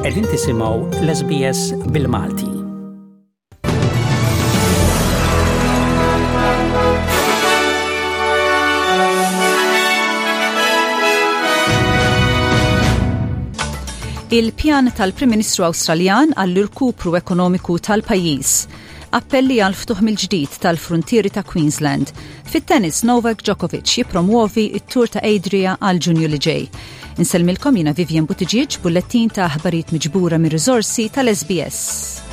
Qegħdin tisimgħu l-SBS bil-Malti. Il-pjan tal-Prim Ministru Awstraljan għall-irkupru ekonomiku tal-pajjiż. Appelli għal ftuħ mill-ġdid tal-fruntieri ta' Queensland. Fit-tennis Novak Djokovic jippromwovi it-Tour ta' Adria għal Ġunju li ġej. Insellmilkom jiena Vivian Buttigieg, bullettin ta' aħbarijiet miġbura mir-riżorsi tal-SBS.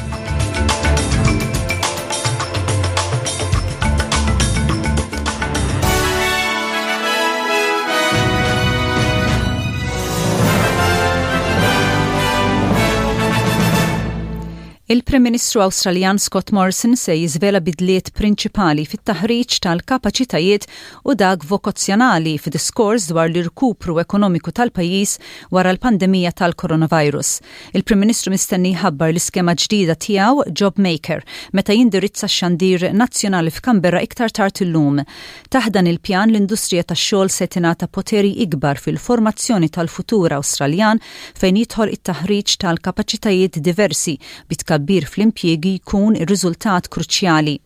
Il-Prim Ministru Awstraljan Scott Morrison se jiżvela bidliet prinċipali fit-taħriġ tal-kapaċitajiet u dak vokazzjonali f'diskors dwar l-irkupru ekonomiku tal-pajjiż wara l-pandemija tal-coronavirus. Il-Prim Ministru mistenni jħabbar l-iskema ġdida tiegħu JobMaker meta jindirizza x-xandir nazzjonali f'Canberra iktar tard illum. Taħt dan il-pjan l-industrija tax-xogħol se tingħata poteri ikbar fil-formazzjoni tal-futur Awstraljan fejn jidħol it-taħriġ tal-kapaċitajiet diversi bi tkabbir fl-impjiegi jkun ir-riżultat kruċjali.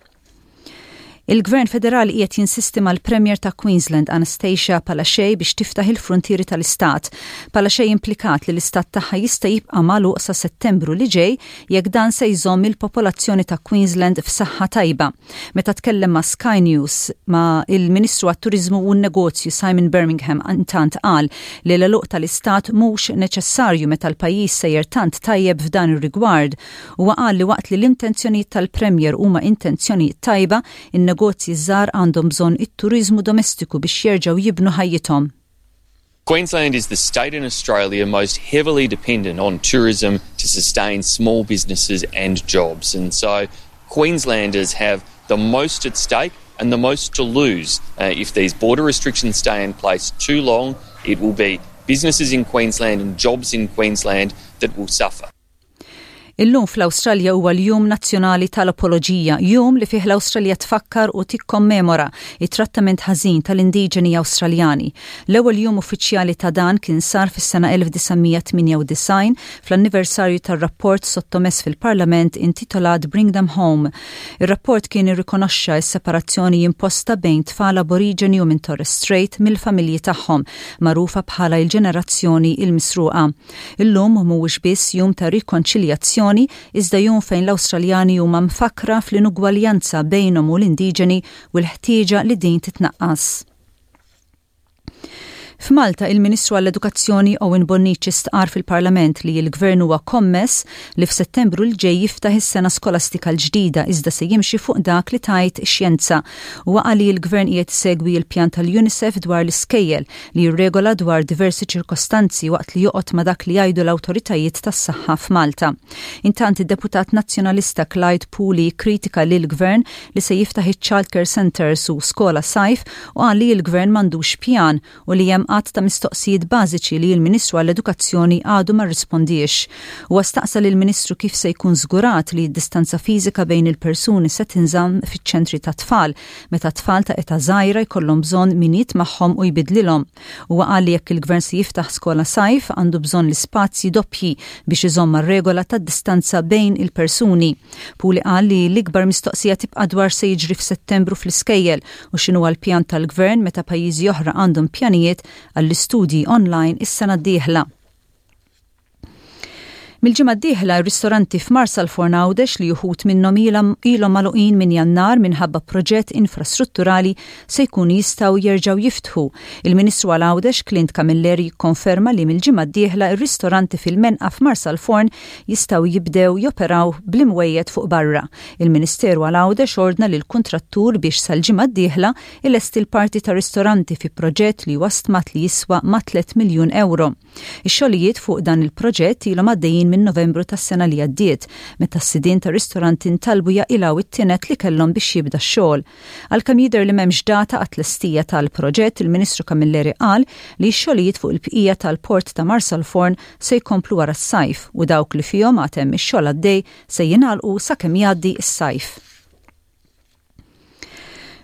Il-Gvern Federali qiegħed jinsisti mal-Premier ta' Queensland Anastasia Palaszczuk biex tiftaħ il-fruntieri tal-istat. Palaszczuk implikat li l-istat tagħha jista' jibqa' magħluq sa Settembru li ġej jekk dan se jżomm il-popolazzjoni ta' Queensland f'saħħa tajba. Meta tkellem ma' Sky News, ma' il-Ministru għat-Turiżmu u n-Negozju Simon Birmingham intant qal li l-għeluq tal-istat mhux neċessarju meta l-pajjiż sejjer tant tajjeb f'dan ir-rigward. Huwa qal li waqt li l-intenzjonijiet tal-Premier huma intenzjonijiet tajba, in-negozji ż-żgħar għandhom bżonn it-turiżmu domestiku biex jerġgħu jibnu ħajjithom. Queensland is the state in Australia most heavily dependent on tourism to sustain small businesses and jobs. And so Queenslanders have the most at stake and the most to lose uh, if these border restrictions stay in place too long. It will be businesses in Queensland and jobs in Queensland that will suffer. Illum fl-Awstralja huwa l-Jum Nazzjonali tal-Apoloġija, jum li fih l-Awstralja tfakkar u tikkommemora it-trattament ħażin tal-indiġeni Awstraljani. L-ewwel jum uffiċjali ta' dan kien sar fis-sena 1998 fl-anniversarju tar-rapport sottomess fil-Parlament intitolat Bring Them Home. Ir-rapport kien irrikonoxxa s-separazzjoni imposta bejn tfal aboriġeni u minn Torres Strait mill-familji tagħhom, magħrufa bħala l-ġenerazzjoni il-misruqa. Illum mhuwiex biss jum ta' rikonċiljazzjoni iżda jum fejn l-Awstraljani huma mfakkra fl-inugwaljanza bejnhom u l-indiġeni u l-ħtieġa li din titnaqqas. F'Malta, il-Ministru għall-Edukazzjoni Owen Bonnici stqar fil-Parlament li l-Gvern huwa kommess li f'Settembru l ġej jiftaħ is-sena skolastika l-ġdida iżda se jimxi fuq dak li tgħid ix-xjenza. Huwa qal li l-Gvern qiegħed isegwi l-pjan tal-UNICEF dwar l-iskejjel li jirregola dwar diversi ċirkostanzi waqt li joqgħod ma' dak li jgħidu l-awtoritajiet tas-saħħa f'Malta. Intant id-deputat Nazzjonalista Clyde Puli kritika lil gvern li se jiftaħ iċ-childcare centres u skola sajf u qal li l-gvern m'għandux pjan u li hemm għadd ta' mistoqsijiet bażiċi li l-Ministru għall-Edukazzjoni għadu ma rrispondiex. Huwa staqsa lill-Ministru kif se jkun żgurat li d-distanza fiżika bejn il-persuni se tinżamm fiċ-ċentri tat-tfal meta tfal ta' età żgħira jkollhom bżonn min jitmagħhom u jbidlilhom. Huwa qal li jekk il-Gvern se jiftaħ skola sajf għandu bżonn l-ispazji doppji biex iżomm mar-regola tad-distanza bejn il-persuni. Puli qal li l-ikbar mistoqsija tibqa' dwar se jiġri f'Settembru fl-iskejjel u x'inhuwa l-pjan tal-Gvern meta pajjiżi oħra għandhom pjanijiet għall-istudji online is-sena d-dieħla. Mill-ġimgħa d-dieħla r-ristoranti f'Marsalforn Għawdex li uħud minnhom ilhom magħluqin minn Jannar minħabba proġett infrastrutturali se jkunu jistgħu jerġgħu jiftħu. Il-Ministru għal Għawdex Clint Camilleri jikkonferma li mill-ġimgħa d-dieħla r-ristoranti fil-Menqa f'Marsalforn jistgħu jibdew joperaw bl-imwejjed fuq barra. Il-Ministeru għal Għawdex ordna lill-kuntrattur biex sal-ġimgħa d-dieħla ilesti l-parti ta' ristoranti fi proġett li huwa stmat li jiswa ma' 3 miljun ewro. Ix-xogħlijiet fuq dan il-proġett ilhom għaddejjin minn Novembru tas-sena li għaddiet, meta s-sidien tar-ristoranti ntalbu jaqilgħu it-tined li kellhom biex jibda x-xogħol. Għalkemm jidher li m'hemmx data għat-tlestija tal-proġett, il-Ministru Camilleri qal li x-xogħlijiet fuq il-bqija tal-Port ta' Marsalforn se jkomplu wara s-sajf u dawk li fihom għad hemm ix-xogħol għaddej se jingħalqu sakemm jgħaddi s-sajf.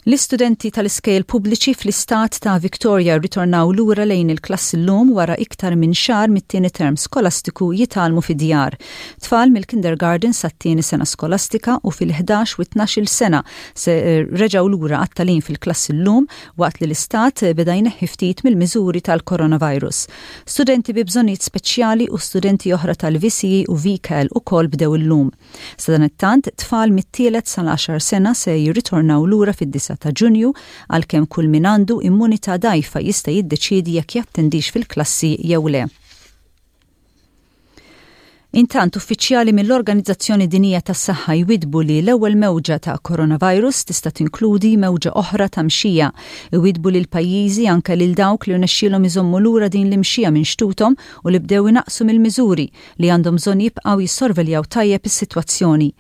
L-istudenti tal-iskejjel pubbliċi fl-istat ta' Victoria rritornaw lura lejn il-klassi llum wara iktar minn xahar mit-tieni term skolastiku jitgħallmu fid-djar. Tfal mill-kindergarten sat-tieni sena skolastika u fil-ħdax u t-tnax-il sena se reġgħu lura għat-tagħlim fil-klassi llum waqt li l-istat beda jneħħi ftit mill-miżuri tal-coronavirus. Studenti bi bżonnijiet speċjali u studenti oħra tal-VCE u VCAL ukoll bdew illum. Sadanittant, tfal mit-tielet sal-għaxar sena se jirritornaw lura fid-disgħa ta' Ġunju għalkemm kull min għandu immunità dgħajfa jista' jiddeċiedi jekk jattendix fil-klassi jew le. Intant, uffiċjali mill-Organizzazzjoni Dinjija tas-Saħħa jwiddbu li l-ewwel mewġa ta' coronavirus tista' tinkludi mewġa oħra ta' mxija. Iwiddbu lil pajjiżi anke lil dawk li rnexxielhom iżommu lura din l-imxija minn xtuthom u li bdew inaqqsu mill-miżuri li għandhom bżonn jibqgħu jissorveljaw tajjeb is-sitwazzjoni.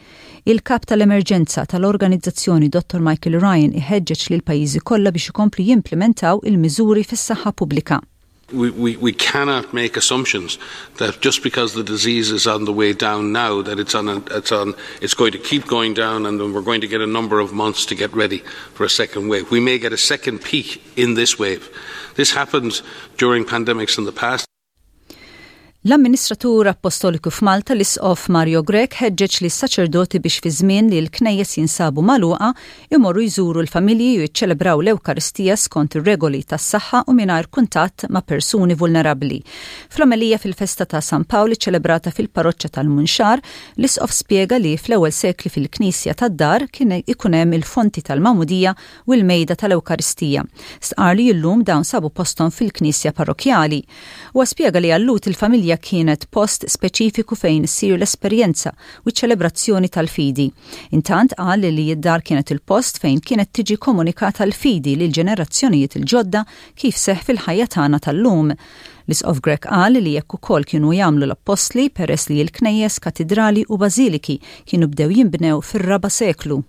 Il-Kap tal-Emerġenza tal-organizzazzjoni Dottor Michael Ryan iħeġġeġ lill-pajjiżi kollha biex ikomplu jimplimentaw il-miżuri fis-saħħa pubblika. We, we, we cannot make assumptions that just because the disease is on the way down now that it's on a, it's on it's going to keep going down and then we're going to get a number of months to get ready for a second wave. We may get a second peak in this wave. This happened during pandemics in the past. L-Amministratur Appostoliku f'Malta l-Isqof Mario Grech ħeġġeġ lis-saċerdoti biex fi żmien li l-knejjes jinsabu magħluqa imorru jżuru l-familji u jiċċelebraw l-Ewkaristija skont ir-regoli tas-saħħa u mingħajr kuntatt ma' persuni vulnerabbli. Fl-omelija fil-festa ta' San Pawl iċċelebrata fil-Parroċċa tal-Munxar, l-Isqof spjega li fl-ewwel sekli fil-knisja tad-dar kien ikun hemm il-fonti tal-magħmudija u l-mejda tal-Ewkaristija. Stqarr li llum dawn sabu posthom fil-knisja parrokkjali. Huwa spjega li għal-Lhud il-familja kienet post speċifiku fejn issir l-esperjenza u ċ-ċelebrazzjoni tal-fidi. Intant qal li d-dar kienet il-post fejn kienet tiġi komunikata l-fidi lill-ġenerazzjonijiet il-ġodda kif seħħ fil-ħajja tagħna tal-lum. L-Isqof Grech qal li hekk ukoll kienu jagħmlu l-appostli peress li l-knejjes, katidrali u bażiliki kienu bdew jinbnew fir-raba' seklu.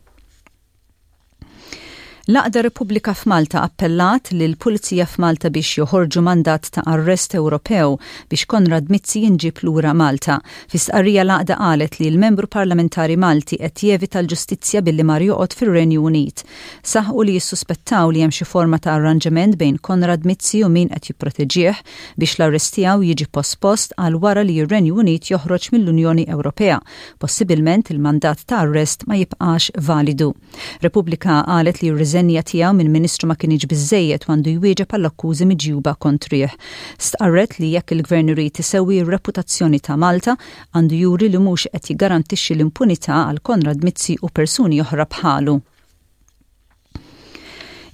L-Għaqda Repubblika f'Malta appellat lill-Pulizija f'Malta biex joħorġu mandat ta' arrest Ewropew biex Konrad Mizzi jinġieb lura Malta. Fi stqarrija l-Għaqda qalet li l-Membru Parlamentari Malti qed jevita l-ġustizzja billi mar joqgħod fir-Renju Unit. Saħqu li jissuspettaw li hemm xi forma ta' arranġament bejn Konrad Mizzi u min qed jipproteġih biex l-arrest tiegħu jiġi pospost għal wara li r-Renju Unit joħroġ mill-Unjoni Ewropea. Possibilment il-mandat ta' arrest ma jibqax validu. Repubblika qalet li r-riżenja tiegħu minn Ministru ma kinitx biżżejjed u għandu jwieġeb għall-akkużi miġjuba kontrih. Stqarret li jekk il-Gvern irid isewwi r-reputazzjoni ta' Malta, għandu juri li mhux qed jiggarantixxi l-impunità għal Konrad Mizzi u persuni oħra bħalu.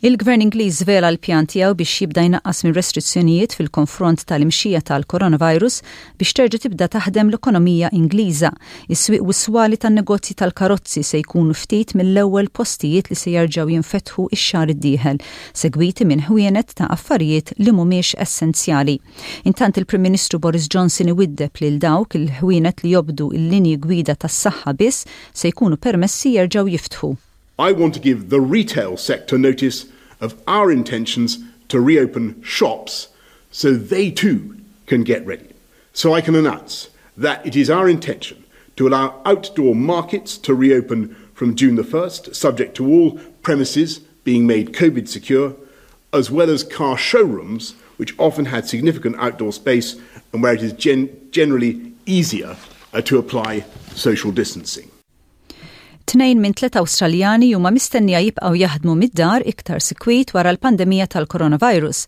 Il-Gvern Ingliż żvela l-pjan tiegħu biex jibda jnaqqas mir-restrizzjonijiet fil-konfront tal-imxija tal-coronavirus biex terġa' tibda taħdem l-ekonomija Ingliża. Is-swieq u s-swali tan-negozji tal-karozzi se jkunu ftit mill-ewwel postijiet li se jerġgħu jinfetħu x-xahar id-dieħel, segwiti minn ħwienet ta' affarijiet li mhumiex essenzjali. Intant il-Prim Ministru Boris Johnson iwiddeb lil dawk il-ħwienet li jobdu l-linji gwida tas-saħħa biss se jkunu permessi jerġgħu jiftħu. I want to give the retail sector notice of our intentions to reopen shops so they too can get ready. So I can announce that it is our intention to allow outdoor markets to reopen from June the 1st, subject to all premises being made COVID secure, as well as car showrooms, which often had significant outdoor space and where it is gen generally easier uh, to apply social distancing. Tnejn minn tliet Awstraljani huma mistennija jibqgħu jaħdmu mid-dar iktar sikwit wara l-pandemija tal-coronavirus.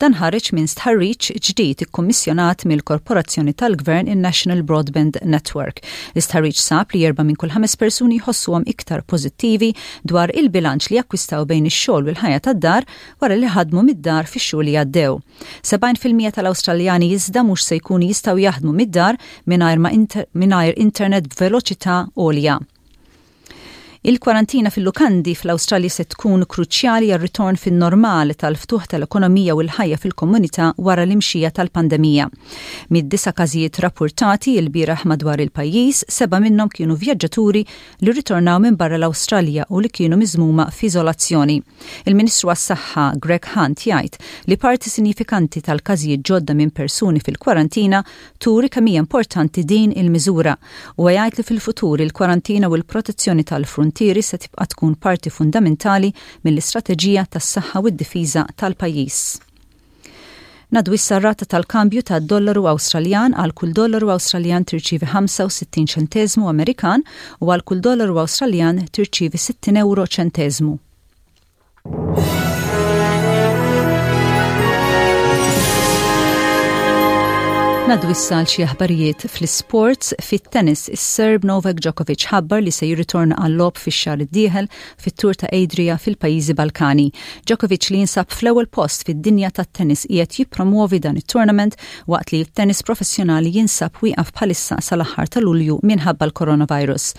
Dan ħareġ minn stħarriġ ġdid ikkummissjonat mill-korporazzjoni tal-gvern in-National Broadband Network. L-istħarriġ sab li erba' minn kull ħames persuni jħossuhom iktar pożittivi dwar il-bilanċ li jakkwistaw bejn ix-xogħol u l-ħajja tad-dar wara li ħadmu mid-dar fix-xhur li għaddew. 70% tal-Awstraljani iżda mhux se jkunu jistgħu jaħdmu mid-dar mingħajr internet b'veloċità għolja. Il-kwarantina fil-lukandi fl-Awstralja se tkun kruċjali għar-ritorn fin-normal tal-ftuħ tal-ekonomija u l-ħajja fil-komunità wara l-imxija tal-pandemija. Mid-disa' każijiet rappurtati lbieraħ madwar il-pajjiż, seba' minnhom kienu vjaġġaturi li rritornaw minn barra l-Awstralja u li kienu miżmuma f'iżolazzjoni. Il-Ministru għas-Saħħa Greg Hunt jgħid li parti sinjifikanti tal-każijiet ġodda minn persuni fil-kwarantina turi kemm hija importanti din il-miżura. Huwa jgħid li fil-futur il-kwarantina u l-protezzjoni tal-fruntieri tal-fruntieri se tibqa' tkun parti fundamentali mill-istrateġija tas-saħħa u d-difiża tal-pajjiż. Ngħaddu issa r-rata tal-kambju tad-dollaru Awstraljan għal kull dollaru Awstraljan tirċievi 65 ċenteżmu Amerikan u għal kull dollaru Awstraljan tirċievi 60 ewro ċenteżmu. Ngħaddu issa għal xi aħbarijiet fl-isports. Fit-tennis, is-Serb Novak Djokovic ħabbar li se jirritorna għal-logħob fix-xahar id-dieħel fit-Tour ta' Adria fil-pajjiżi Balkani. Djokovic li jinsab fl-ewwel post fid-dinja tat-tennis qiegħed jippromwovi dan it-tournament waqt li t-tennis professjonali jinsab wieqaf bħalissa sal-aħħar ta' Lulju minħabba l-coronavirus.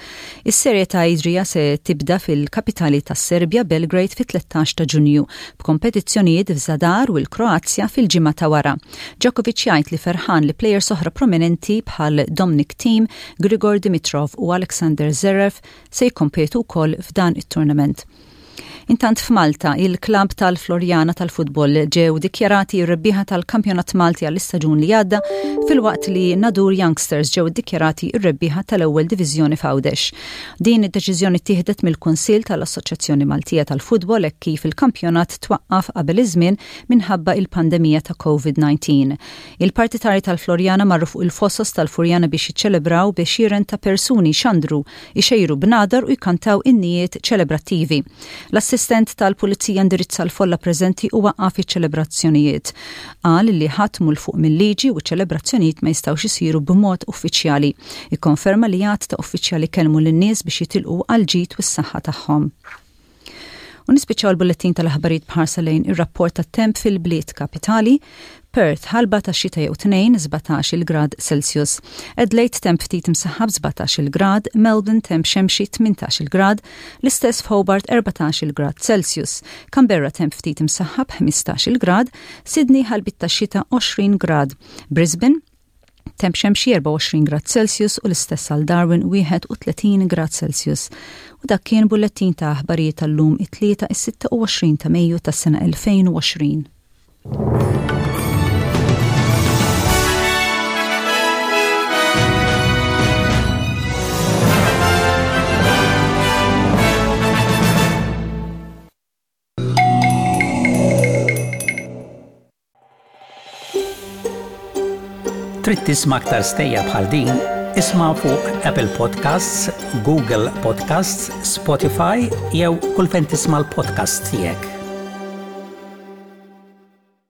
Is-serje ta' Adria se tibda fil-kapitali tas-Serbja, Belgrade fit-13 ta' Ġunju, b'kompetizzjonijiet f'Zadar u l-Kroazja fil-ġimgħa ta' wara. Djokovic jgħid li ferħan li plejers oħra prominenti bħal Dominic Thiem, Grigor Dimitrov u Alexander Zverev se jikkompetu wkoll f'dan it-tournament. Intant f'Malta, il-klabb tal-Floriana tal-futbol ġew dikjarati r-rebbieħa tal-Kampjonat Malti għall-istaġun li għadda filwaqt li Nadur Youngsters ġew iddikjarati r-rebbieħa tal-ewwel diviżjoni f'Għawdex. Din id-deċiżjoni ttieħdet mill-Kunsill tal-Assoċjazzjoni Maltija tal-Futbol hekk kif il-kampjonat twaqqaf qabel iż-żmien minħabba il-pandemija ta' COVID-19. Il-partitari tal-Floriana marru fuq il-fosos tal-Furjana biex jiċċelebraw b'għexieren ta' persuni xandru ixejru bnadar u jkantaw innijiet ċelebrattivi. L-assistent tal-pulizija indirizza l-folla preżenti u waqqaf iċ-ċelebrazzjonijiet. Qal li ħadd mhu 'l fuq mil-liġi u ċ-ċelebrazzjonijiet ma jistgħux isiru b'mod uffiċjali. Ikkonferma li għadd ta' uffiċjali kellmu lin-nies biex jitilqu għall-ġid u s-saħħa tagħhom. U nispiċċaw il-bullettin tal-aħbarijiet b'ħarsa lejn ir-rapport tat-temp fil-bliet kapitali. Perth, ħalba ta' xita jew tnejn, 17 grad Celsius. Adelaide temp ftit imsaħħab 17 grad, Melbourne temp xemxi 18 grad, l-istess f'Hobart 14 grad Celsius. Canberra temp ftit imsaħħab 15 grad, Sydney ħalbit ta' xita 20 grad. Brisbane Temp xemxi 24 grad Celsius u l-istess għal Darwin 31 grad Celsius. U dak kien bullettin ta' aħbarijiet tal-lum it-Tlieta is-26 ta' Mejju tas-sena 2020. Trid tisma' aktar stejjer bħal din? Isma' fuq Apple Podcasts, Google Podcasts, Spotify jew kull fejn tisma' l-podcasts tiegħek.